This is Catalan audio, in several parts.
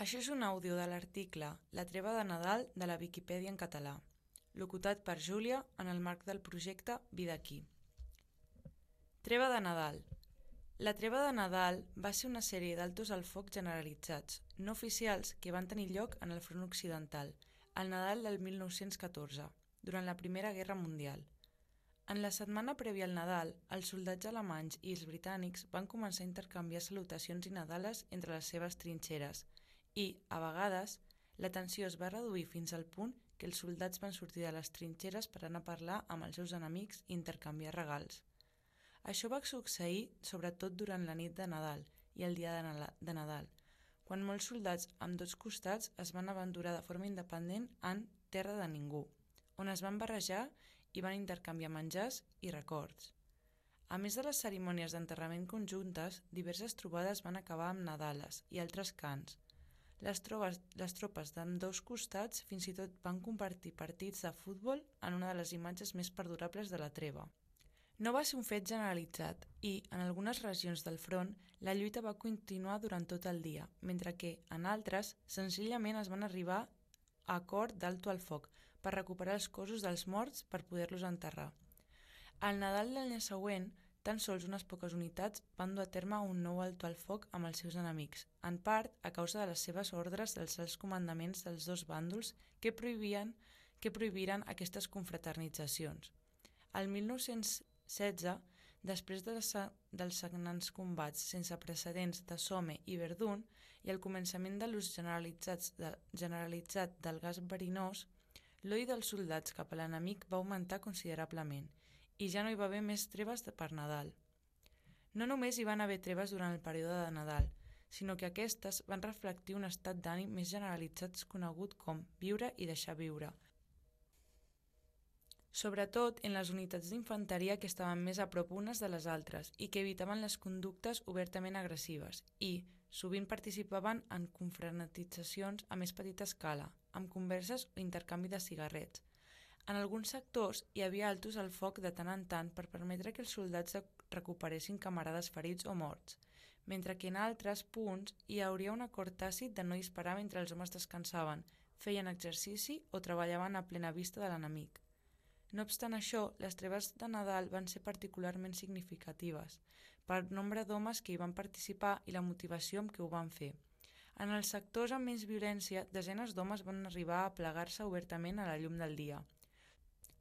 Això és un àudio de l'article La treva de Nadal de la Viquipèdia en català, locutat per Júlia en el marc del projecte Vida aquí. Treva de Nadal. La treva de Nadal va ser una sèrie d'altos al foc generalitzats, no oficials, que van tenir lloc en el front occidental, al Nadal del 1914, durant la Primera Guerra Mundial. En la setmana prèvia al Nadal, els soldats alemanys i els britànics van començar a intercanviar salutacions i nadales entre les seves trinxeres i, a vegades, la tensió es va reduir fins al punt que els soldats van sortir de les trinxeres per anar a parlar amb els seus enemics i intercanviar regals. Això va succeir sobretot durant la nit de Nadal i el dia de Nadal, quan molts soldats amb dos costats es van aventurar de forma independent en terra de ningú, on es van barrejar i van intercanviar menjars i records. A més de les cerimònies d'enterrament conjuntes, diverses trobades van acabar amb nadales i altres cants. Les tropes d'ambdós costats fins i tot van compartir partits de futbol en una de les imatges més perdurables de la treva. No va ser un fet generalitzat i, en algunes regions del front, la lluita va continuar durant tot el dia, mentre que, en altres, senzillament es van arribar a acord d'alto al foc per recuperar els cossos dels morts per poder-los enterrar. Al Nadal de l'any següent, tan sols unes poques unitats van dur a terme un nou alto al foc amb els seus enemics, en part a causa de les seves ordres dels alts comandaments dels dos bàndols que prohibiren aquestes confraternitzacions. El 1916, després dels sagnants combats sense precedents de Somme i Verdun i el començament de l'ús generalitzat del gas verinós, l'odi dels soldats cap a l'enemic va augmentar considerablement i ja no hi va haver més treves per Nadal. No només hi van haver treves durant el període de Nadal, sinó que aquestes van reflectir un estat d'ànim més generalitzat conegut com viure i deixar viure, sobretot en les unitats d'infanteria que estaven més a prop unes de les altres i que evitaven les conductes obertament agressives i, sovint participaven en confraternitzacions a més petita escala, amb converses o intercanvi de cigarrets. En alguns sectors hi havia altos al foc de tant en tant per permetre que els soldats recuperessin camarades ferits o morts, mentre que en altres punts hi hauria un acord tàcit de no disparar mentre els homes descansaven, feien exercici o treballaven a plena vista de l'enemic. No obstant això, les treves de Nadal van ser particularment significatives pel nombre d'homes que hi van participar i la motivació amb què ho van fer. En els sectors amb menys violència, desenes d'homes van arribar a plegar-se obertament a la llum del dia.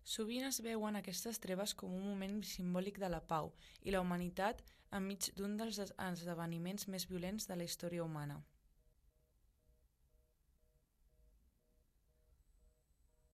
Sovint es veuen aquestes treves com un moment simbòlic de la pau i la humanitat enmig d'un dels esdeveniments més violents de la història humana.